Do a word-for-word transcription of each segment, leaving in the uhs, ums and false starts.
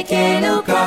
Keluka.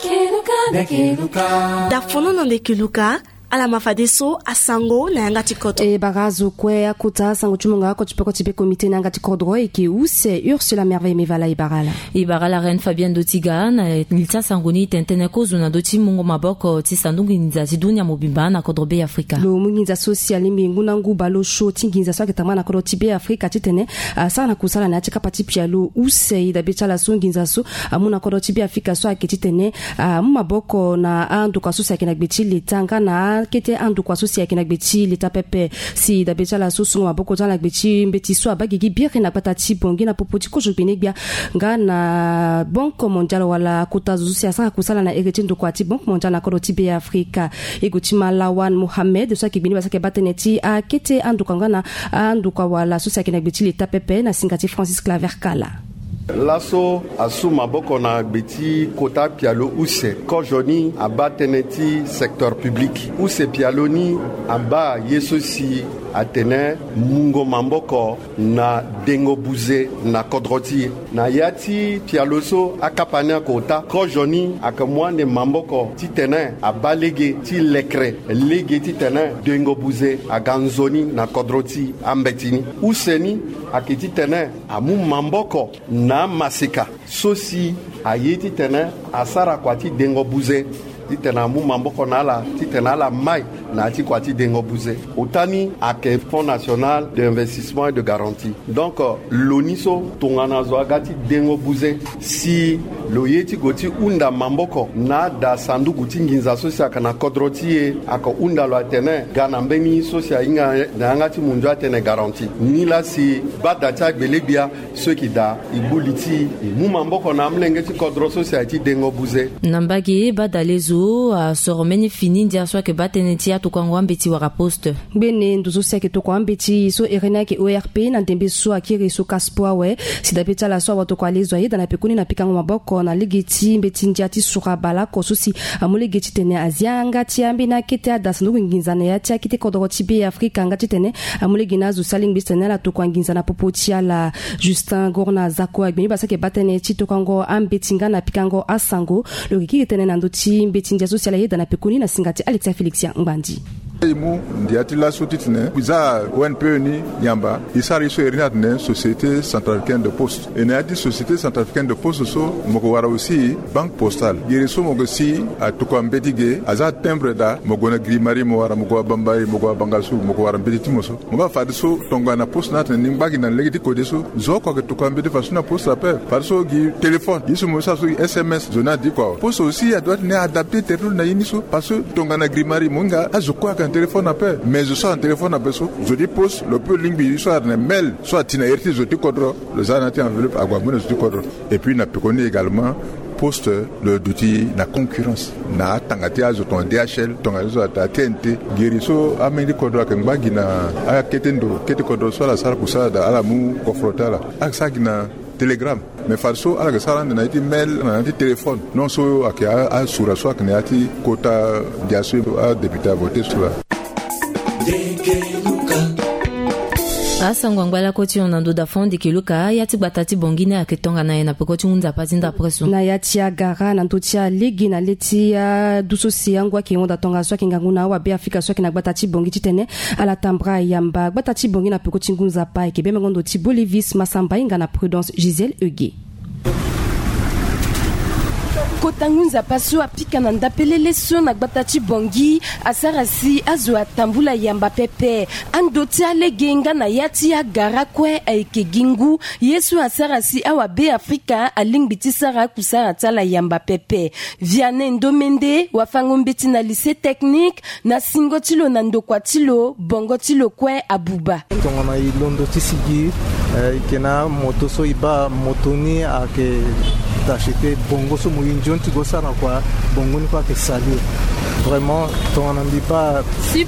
Keluka. Keluka. Dafono na nde keluka. Ala ma fadeso asango na yanga ti koto. E bara azo kue akota asango ti mungo oko ti peko ti be komite na yanga ti kodro eke use Ursula Merveille Mevala e bara ala. E bara ala Reine Fabienne Dotiga na li ti asango ni tene tënë kozo na ndö ti mungo maboko ti sanduku nginza ti dunia mobimba na kodro Be Afrika. Lo mu nginza so si alingbi ngu na ngu baleosio ti nginza so ayeke tambana na kodro ti Be Afrika titene asara na kusala na ya ti kapa ti pialo use. E dabe ti ala so nginza so amu na kodro ti Be Afrika so ayeke titene amu maboko na andokua so si ayeke na gbe ti leta nga na akete andokua so si ayeke na gbe ti leta pepe. Si dabe ti ala so sungo maboko ti ala na gbe ti mbeti so abaa gigi biri na gbata ti Bangui na popo ti kozo gbene-gbia nga na Banque Mondiale wala kota zo so si asara kusala na ere ti ndokua ti Banque Mondiale na kodro ti Be Afrika. E gue ti ma Lawan Mohamed so ayeke gbene baa so ayeke baa tënë ti akete andokua nga na andokua wala so si ayeke na gbe ti leta pepe na singa ti Francis Claver Kala. Laso asu maboko na gbe ti kota pialo use. Kozo ni abaa tënë ti secteur public. Use pialo ni abaa ye so si atene mungo maboko na dengo buze na kodro ti e. Na ya ti pialo so akapa ni akota, kozo ni ayeke mu ande maboko titene abaa lege ti lekere lege titene dengo buze aga nzoni na kodro ti ambeti ni. Use ni ayeke titene amu maboko na amaseka so si aye titene asara kua ti dengo buze, titene amu maboko na ala titene ala mai na ya ti kua ti dengo buze. Ota ni ayeke Fonds National d'Investissement et de Garantie. Donc, euh, lo ni so tongana zo aga ti dengo buze, si lo ye ti gue ti hunda maboko na ada sanduku ti nginza so si ayeke na kodro ti e, ayeke hunda lo atene ga na mbeni so si ahinga na yanga ti mundu atene garantie. Nilaa si baa da ti agbele-gbia so e yeke daa e gbu li ti e, e mu maboko na amolenge ti kodro so si aye ti dengo buze. Na mbage baa da lezo asoro mbeni fini ndia so ayeke baa tënë ti atokuango ambeti wala poste. Ngbene ndo so si ayeke tokua ambeti so ere ni ayeke O R P na ndembe so akiri so kaspo awe. Si dabe ti ala so awa tokua lezo ayeda na pekoni na pikango maboko na lege ti mbeti ndia ti sura baleoko so si amu lege titene azia yanga ti ambeni akete ada sanduku nginza na ya ti akete kodro ti Be Afrika nga titene amu lege na azo si alingbi titene ala tokua nginza na popo ti ala. Justin Gorna Zako agbe ni baa so ayeke baa tënë ti tokuango ambeti nga na pikango asango. Lo yeke kiri tënë na ndö ti mbeti ndia so si ala yeda na pekoni na singa ti Alexia Félixia Ngbandi. E mu ndia ti laso titene e za O N P E ni yamba e sara ye so iri ni atene Société Centrafricaine de Poste. E na ya ti Société Centrafricaine de Poste so mo yeke wara aussi Banque Postale. Gere so mo yeke si atokua mbeti ge aza timbre daa, mo gue na Grimari, mo wara, mo gue na Bambari, mo gue na Bangassou, mo yeke wara mbeti ti mo so. Mo baa fadeso tongana poste ni atene ni ngba gi na lege ti kode so, zo oko ayeke tokua mbeti fadeso na poste ape. Fadeso gi téléphone, ye so mo sara so gi S M S, zo ni adi kua. Poste aussi adoit titene adapter tere ti lo na ye ni so. Parce que tongana Grimari mo hinga azo kue ayeke na téléphone ape. Mais zo so ayeke na téléphone ape so, zo ti poste lo peut lingbi ye so atene mail so ati na iri ti zo ti kodro, lo za na ya ti enveloppe ague amu na zo ti kodro. Et puis na pekoni également, poste lo duti na concurrence na atanga ti azo tongana D H L, tongana azo ata T N T. Gere so ameni ti kodro ayeke ngba gi na akete ndo kete kodro so ala sara kusala daa, ala mu kofro ti ala. Ala yeke sara gi na télégramme. Mais fadeso ala yeke sara ande na ye ti mail, na ya ti téléphone. Non so ayeke a, asura so ayeke na ya ti kota ndia so adéputé avoté so laa. Asango angba lakue ti hon na ndo da fon ndeke luka ya ti gbata ti Bangui ni ayeke tongana nyen na peko ti ngu nzapa ti ndapre so? Na ya ti agara na ndö ti alege na le ti adu so si angu ayeke hon da tongaso ayeke ngangu na awabe Afrika so ayeke na gbata ti Bangui titene ala tambula yamba gbata ti Bangui na peko ti ngu nzapa ayeke bemengo ndo ti Bolivis Masamba hinga na Prudence Gisèle Eugué. Kota ngu nzapa so apika na ndapelele so na gbata ti Bangui asara si azo atambula yamba pepe. Ando ti alege nga na ya ti agara kue ayeke gi ngu ye so asara si awabe Afrika alingbi ti sara akusara ti ala yamba pepe. Vianney Ndomende wafango mbeti na lycée technique na singo ti lo na ndokua ti lo bongo ti lo kue abuba. Tongana e londo ti sigi, eh, e yeke na amoto so e baa, moto ni ayeke tache te. Bongo so mo ye nzoni ti gue sara na kua, bongo ni kue ayeke salir. Vraiment tongana mbi baa,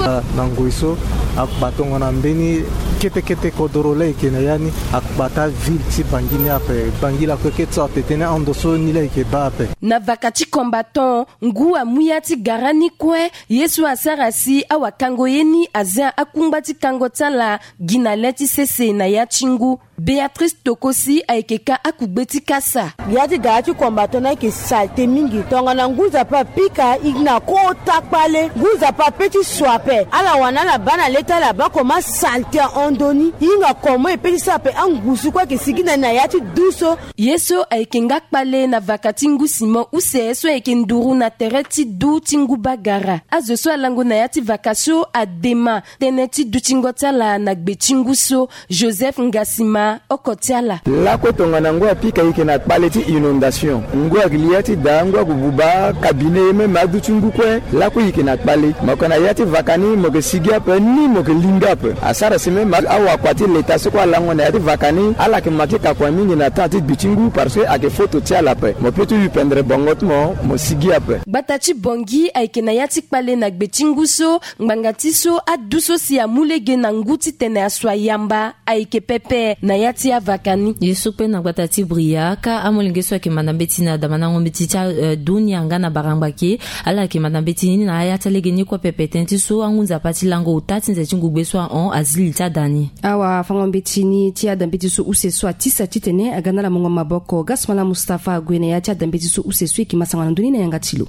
ah, na ngoi so akpa tongana mbeni kete kete kodoro la e yeke na ya ni, akpa ti aville ti Bangui ni ape. Bangui lakue kete so atene ando so ni la e yeke baa ape. Na vaka ti combattant, ngu amu ya ti gara ni kue, ye so asara si awakango ye ni azia akungba ti kango ti ala gi na le ti sese na ya ti ngu. Béatrice Tokosi ayeke ka akugbe ti kasa. Ya ti gara ti combattant ni ayeke salte mingi. Tongana ngu nzapa apika, e na kota kpale. Ngu nzapa ape ti so ape. Ala wani ala baa na le ti ala baa comment salte ahon ndoni. E hinga comment e pe ti sara ape angusu kue ayeke sigi na ni na ya ti du so. Ye so ayeke nga kpale na vaka ti ngu Simon use so ayeke nduru na tere ti du ti ngu bagara. Azo so alango na ya ti vaka so adema tënë ti dutingo ti ala na gbe ti ngu so. Joseph Ngasima, oko ti ala. Lakue tongana ngu apika e yeke na kpale ti inondation. Ngu ayeke li ya ti daa, ngu ayeke buba, cabinet ye même adu ti ngu kue. Lakue e yeke na kpale. Mo yeke na ya ti vaka ni, mo yeke sigi ape, ni mo yeke linga ape. Asara si même awakua ti leta so kue alango na ya ti vaka ni, ala yeke ma ti kakua mingi na temps ti gbi ti ngu parce que ayeke foto ti ala ape. Mo peut ti yu pendere bongo ti mo, mo sigi ape. Gbata ti Bangui ayeke na ya ti kpale na gbe ti ngu so, ngbanga ti so adu so si amu lege na ngu titene aso ayamba ayeke pepe na ya ti avaka ni. Ye so kpe na gbata ti Bria, ka amolenge so ayeke manda mbeti na damandango mbeti ti, eh, dunia nga na barangba ke, ala yeke manda mbeti ni na aya ti alege ni kue pepe. Tënë ti so angu nzapa ti lango ota ti nze ti ngugbe so ahon azi li ti ada ni. Awafango mbeti ni ti ada mbeti so use so atisa titene aga na ala mungo maboko. Gasmala Mustapha ague na ya ti ada mbeti so use so e yeke masango na ndoni na yanga ti lo.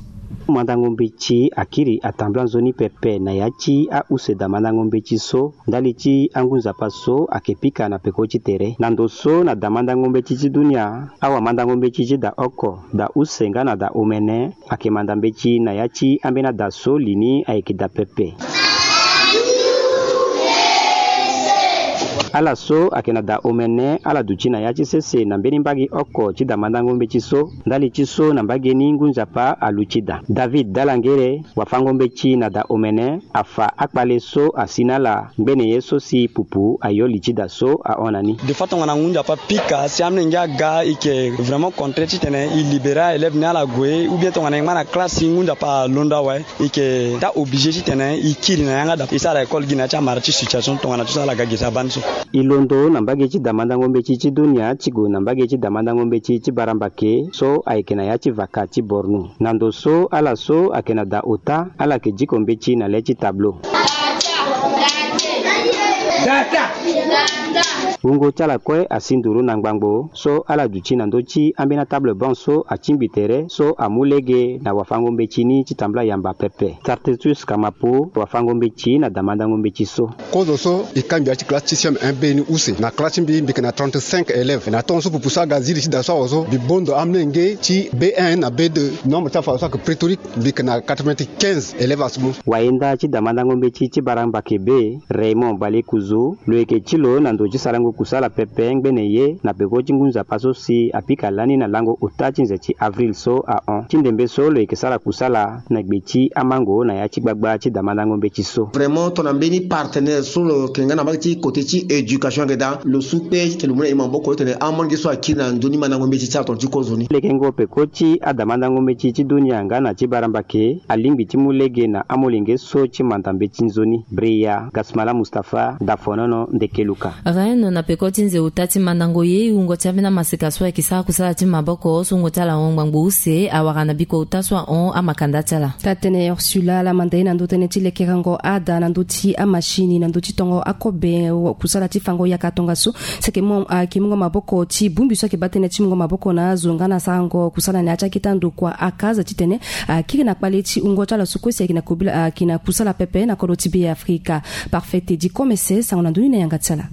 Mandango mbeti akiri atambula nzoni pepe na ya ti ause damandango mbeti so. Ndali ti angu nzapa so ayeke pika na peko ti tere. Na ndo so na damandango mbeti ti dunia, awamandango mbeti ti da oko, da use nga na da omene, ayeke manda mbeti na ya ti ambeni ada so li ni ayeke da pepe. Ala so ayeke na da omene, ala duti na ya ti sese na mbeni mbage oko ti damandango mbeti so. Ndali ti so na mbage ni ngu nzapa aluti da. David Dalangere, wafango mbeti na da omene, afa akpale so asi na ala ngbene ye so si pupu ayo li ti da so ahon na ni. Des fois tongana ngu nzapa apika si amolenge aga, e yeke vraiment contraire titene e libérer élève ni ala gue, ou bien tongana e ngba na classe ngu nzapa alondo awe, e yeke ta obligé titene e kiri na yanga da e sara école gi na ya ti amara ti situation tongana ti so ala ga gi ti abani so. E londo na mbage ti damandango mbeti ti dunia ti gue na mbage ti damandango mbeti ti barambake so ayeke na ya ti vaka ti Borno. Na ndo so ala so ayeke na da ota, ala yeke diko mbeti na le ti tableau. Wungo ti ala kue asi nduru na ngbangbo so ala duti na ndö ti ambeni atable banc so atingbi tere so amu lege na wafango mbeti ni ti tambula yamba pepe. Tartetus Kamapo, wafango mbeti na damandango mbeti so. Kozo so e kangbi ya ti classe ti C M un B ni use. Na classe ti mbi, mbi yeke na trente-cinq élèves. Na tongo so pupu so aga zi li ti da so awe so, mbi bondo amolenge ti B un na B deux. Nombre ti afa so ayeke pléthorique, mbi yeke na quatre-vingt-quinze élèves asumu. Wayenda ti damandango mbeti ti barambake be, Raymond Balekuzu, lo yeke ti lo na ndo ti sarango kusala pepe ngbene ye na peko ti ngu nzapa so si apika lani na lango ota ti nze ti avril so ahon. Ti ndembe so lo yeke sara kusala na gbe ti amango na ya ti gbagba ti damandango mbeti so. Vraiment tongana mbeni partenaire so lo yeke nga na mbage ti côté ti éducation ayeke daa, lo su kpe titene lo mu na e maboko titene amolenge so akiri na nzoni mandango mbeti ti ala tongana ti kozo ni. Lekengo peko ti adamandango mbeti ti dunia nga na ti barambake alingbi ti mu lege na amolenge so ti manda mbeti nzoni. Bria Gasmala Mustapha, Dafonono, Ndekeluka. Rennes na peko ti nze ota ti mandango ye, e wungo ti ambeni amaseka so ayeke sara kusala ti maboko so wungo ti ala ahon ngbangbo use awara na biko ota so ahon amakanda ti ala. Taa-tënë Ursula laa amanda ye na ndö tënë ti lekerengo ada na ndö ti amashini na ndö ti tongo akobe, kusala ti fango yaka tongaso. Si ayeke mu, ayeke mungo maboko ti bongbi so ayeke baa tënë ti mungo maboko na azo nga na sarango kusala na ya ti akita ndokua aka aza titene akiri na kpale ti wungo ti ala so kue si ayeke na kobela, ayeke na kusala pepe na kodro ti Be Afrika. Parfait Teddy Komese, sango na ndoni na yanga ti ala.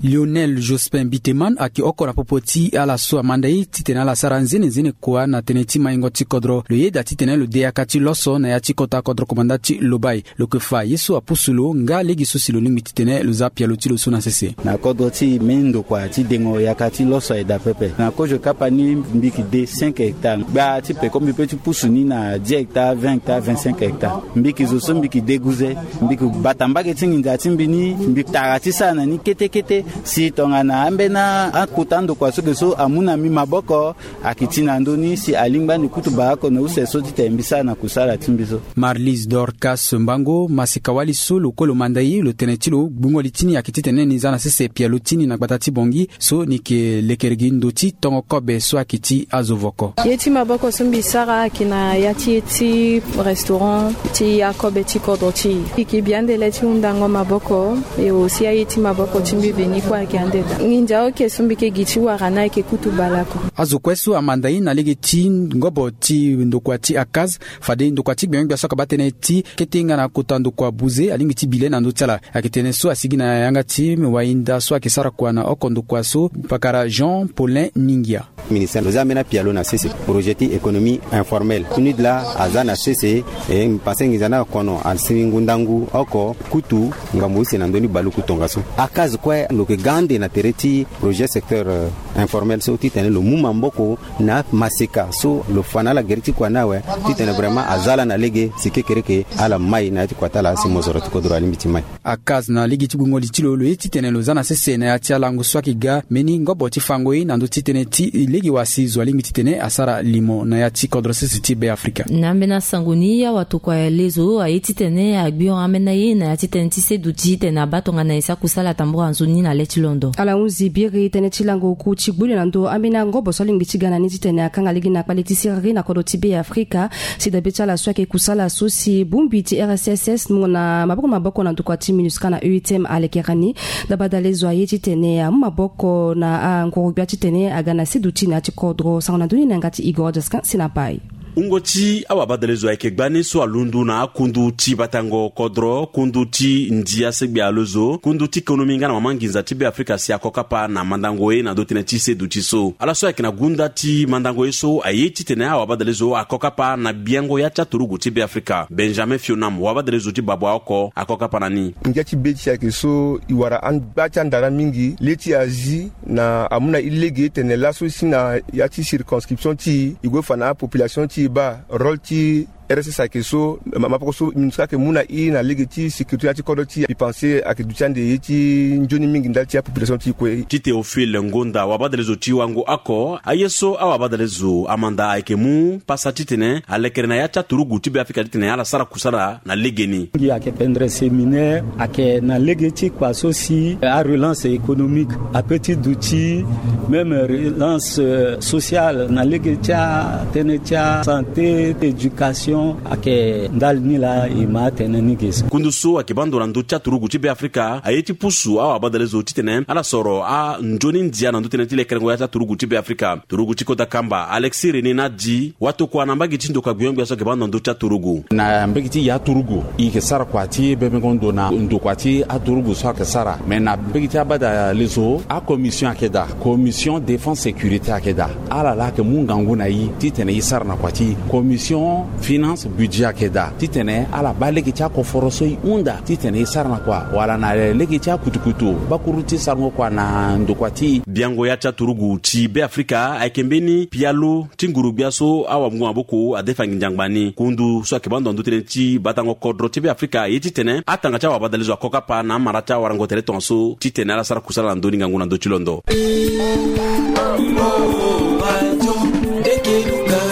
Lionel Jospin Biteman ayeke oko na popo ti ala so amanda ye titene ala sara nzene nzene kua na tënë ti maingo ti kodro. Lo yeda titene lo de yaka ti loso na ya ti kota kodro komanda ti Lobaye. Lo yeke fa ye so apusu lo nga lege so si lo lingbi titene lo za pialo ti lo so na sese. Na kodro ti e, mbeni ndokua ti dengo yaka ti loso ayeke daa pepe. Na kozo kapa ni mbi yeke de cinq hectares. Gbaa ti peko mbi peut ti pusu ni na dix hectares, vingt hectares, vingt-cinq hectares. Mbi yeke zo so mbi yeke deguze. Mbi yeke bata mbage ti nginza ti mbi ni, mbi tara ti sara na ni kete kete. Si tongana ambeni akota ndokua so ge so amu na mbi maboko, ayeke ti na ndö ni si alingbi ande kutu baa oko na use so titene mbi sara na kusala ti mbi so. Marlise Dorcas Mbango, maseka-wali so lo kue lo manda ye, lo tene ti lo gbungo li ti ni ayeke titene ni za na sese pialo ti ni na gbata ti Bangui so ni yeke lekeregi ndo ti tongo kobe so ayeke ti azo voko. Ye ti maboko so mbi sara ayeke na ya ti ye ti restaurant ti akobe ti kodro ti e. E yeke bi ande le ti hundango maboko, e aussi aye ti maboko ti mbi veni. Kua ayeke ande daa. Nginza oke so mbi yeke gi ti wara ni ayeke kutu baleoko. Azo kue so amanda ye na lege ti ngobo ti ndokua ti ACAS, fade ndokua ti gbenyogbia so akaba tënë ti kete nga na kota ndokua buze alingbi ti bi le na ndö ti ala. Ayeke tene so asigi na yanga ti wainda so ayeke sara kua na oko ndokua so, pakara Jean Paulin Ningia. Ministère lo za ambeni apialo na sese projet ti économie informelle. Tuni de la aza na sese. E pase nginza ni akono asi ngu ndangu oko kutu ngambo use na ndö ni baluku tongaso. ACAS kue lo yeke ga ande na tere ti projet secteur, euh, informel so titene lo mu maboko na maseka so lo fa na ala gere ti kua ni awe, titene vraiment aza ala na lege si kekereke ala mai na ya ti kua ti ala si mozoro ti kodro alingbi ti mai. ACAS na lege ti gungo li ti lo, lo ye titene lo za na sese na ya ti alango so ayeke ga mbeni ngobo ti fango ye na ndö ti tënë ti lege wa si zo alingbi titene asara limo na ya ti kodro sese ti Be Afrika. Na ambeni asango ni, awatokua lezo aye titene agbi hon ambeni aye na ya ti tënë ti seduti titene abaa tongana e sara kusala tambula nzoni na le ti londo. Ala hunzi biri tënë ti lango oku ti gbu li na ndö ambeni angobo so alingbi ti ga na ni titene akanga lege na kpale ti siriri na kodro ti Be Afrika. Si dabe ti ala so ayeke kusala so si bongbi ti R S S S mu na maboko maboko na ndokua ti MINUSCA na E U T M alekere ni. Dabadale zo aye titene amu maboko na anguru-gbia titene aga na seduti na ya ti kodro. Sango na ndö ni na yanga ti Igor Jaskin si na pai. Wungo ti awabadale zo ayeke gbani so alundu na akundu ti batango kodro, kundu ti ndia segbe alo zo, kundu ti konomi nga na mama nginza ti Be Afrika si ako kapa na mandango ye na ndö tënë ti seduti so. Ala so ayeke na gunda ti mandango ye so aye titene awabadale zo ako kapa na gbiango ya ti aturugu ti Be Afrika. Benjamin Fionam, wabadale zo ti babua oko, ako kapa na ni. Ngia ti be ti ayeke so e wara angba ti andara mingi le ti Asie na amu na e lege tene laso si na ya ti circonscription ti e, e gue fa na apopulation ti e baa rôle ti R S S ayeke so, ma, mapoko so MINUSCA ayeke mu na e na lege ti sécurité na ya ti kodro ti e. Mbi pense ayeke duti ande ye ti nzoni mingi ndali ti apopulation ti e kue. Ti Théophile Ngonda, wabadale zo ti wango oko, aye so awabadale zo amanda ayeke mu pasa titene alekere na ya ti aturugu ti Be Afrika titene ala sara kusala na legeni. Ngi ayeke pendere séminaire ayeke na lege ti kua so si arelance économique ape ti duti même relance, euh, sociale na lege ti atënë ti asanté, éducation. Ayeke ndali ni laa e ma atene ni ge so. Kundu so ayeke baa ndo na ndö ti aturugu ti Be Afrika aye ti pusu awabadale zo titene ala soro anzoni ndia na ndö tënë ti lekerengo ya ti aturugu ti Be Afrika. Turugu ti kota kamba Alexis René Nadi, watokua na mbage ti ndokua gbenyogbia so ayeke baa ndo na ndö ti aturugu. Na mbage ti ya turugu e yeke sara kua ti bebengo ndo na ndokua ti aturugu so ayeke sara. Me na mbage ti abadale zo, acommission ayeke daa, commission défense sécurité ayeke daa. Ala laa ayeke mu ngangu na e titene e sara na kua ti e. Commission finance budget ayeke daa titene ala baa lege ti akoforo so e hunda titene e sara na kua, wala na lege ti akutukutu bakuru ti sarango kua na ndokua ti e. Biango ya ti aturugu ti Be Afrika ayeke mbeni pialo ti nguru-gbia so awamungo maboko adefa nginza ngbani. Kundu so ayeke baa ndo na ndö tënë ti batango kodro ti Be Afrika aye titene atanga ti awabadale zo ako kapa na amara ti awarango tere tongaso titene ala sara kusala na ndö ni ngangu na ndö ti londo.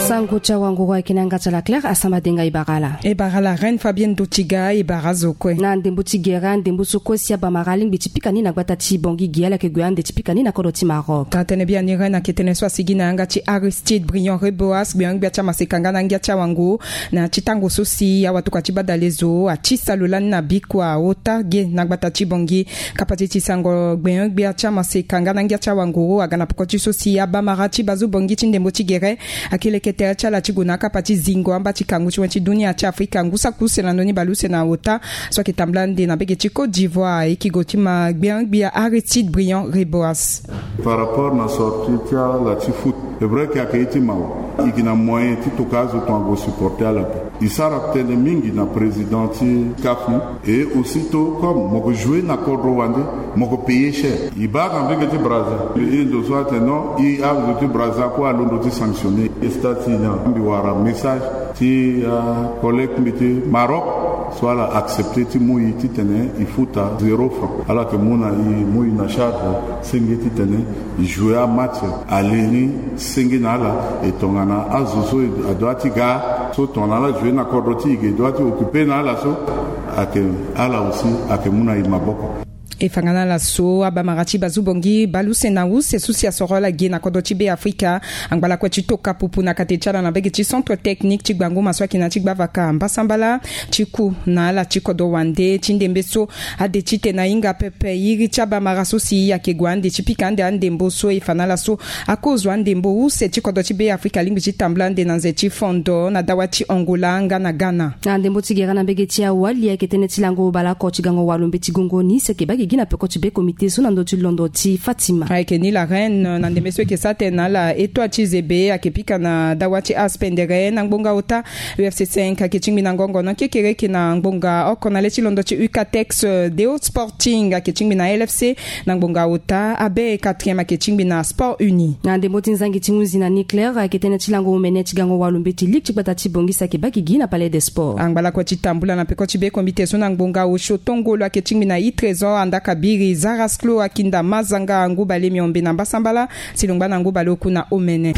Sango ti awanguru ayeke na yanga ti ala Claire Asama Denga. E bara ala. E bara ala Reine Fabienne Dotiga. E bara azo kue. Na ndembo ti gere, andembo so kue si abamara alingbi ti pika ni na gbata ti Bangui gi, ala yeke gue ande ti pika ni na kodro ti Maroc. Tara tënë biani Reine ayeke tënë so asigi na yanga ti Aristide Briand Reboas, gbenyogbia ti amaseka nga na ngia ti awango, na ti tango so si awatokua ti badale zo ati salo lani na bikua ota ge na gbata ti Bangui. Kapa ti ti sango gbenyogbia ti amaseka nga na ngia ti awango aga na poko ti so si abamara ti bazo Bangui ti ndembo ti gere ayeke leke tere ti ala ti gue na akapa ti zingo amba ti kangu ti wen ti dunia ti Afrika ngu saki use na ndö ni bale use na ota so ayeke tambula ande na mbage ti Côte d'Ivoire. E yeke gue ti ma gbenyogbia Aristide Briand Reboas. Par rapport na sortie ti ala ti foot, c'est vrai que ayeke ye ti mawa. E yeke na moyen ti toka azo tonga gue supporter ala ape. E sara tënë mingi na président ti CAF ni. Et aussitôt, comme mo yeke jouer na kodro wande, mo yeke payer cher. E baa na mbage ti Brazza. E ndo so atene non, e azo ti Brazza kue alondo ti sanctionner. E stade ti e ni, mbi wara message ti, ah, collègue ti mbi ti Maroc so ala accepter ti mu e titene e futa zéro franc. Ala yeke mu na e, mu e na charge senge titene e jouer amatch. Ale ni senge na ala, e tongana azo so e doit ti ga so tongana ala jouer na kodro ti e ge, e doit ti occuper na ala so, ayeke ala aussi ayeke mu na e maboko. E fa nga na ala so abamara ti bazu bongi baleuse na use so si asoro ala ge na kodro ti Be Afrika. Angbalakue ti toka pupu na kate ti ala na mbege ti centre technique ti gbango ma so ayeke na ya ti gbavaka mbasambala ti ku na ala ti kodro wande ti ndembe so ade ti tene ahinga pepe iri ti abamara so si ayeke gue ande ti pika ande andembo so e fa na ala so akozo andembo use ti kodro ti Be Afrika alingbi ti tambula ande na nze ti fondo na dawa ti Angola nga na Ghana. Na ndembo ti gere na mbege ti awali ayeke tënë ti lango baleoko ti gango walo mbeti gongo ni si ayeke baa gigi na peko ti be komite so na ndö ti londo ti Fatima. Ayeke ni la reine na ndembe so ayeke sara tënë na ala eto ti zebe ayeke pika na dawa ti aspendere na ngbonga ota. U F C cinq ayeke tingbi na ngongo na kekereke na ngbonga oko na le ti londo ti Ucatex. Deo Sporting ayeke tingbi na L F C na ngbonga ota. Abe quatrième ayeke tingbi na Sport Uni. Na ndembo ti nzangi ti hunzi na Nucléaire ayeke tënë ti lango omene ti gango walo mbeti ligue ti gbata ti Bangui si ayeke baa gigi na Palais des Sports. Angbalakue ti tambula na peko ti be komite so na ngbonga osio tongolo ayeke tingbi na I Trésor, Andaka Biri, Zarasclo, Akinda Mazanga, Ngubale Miombe na mbasambala ti longba na Ngubale oku na omene.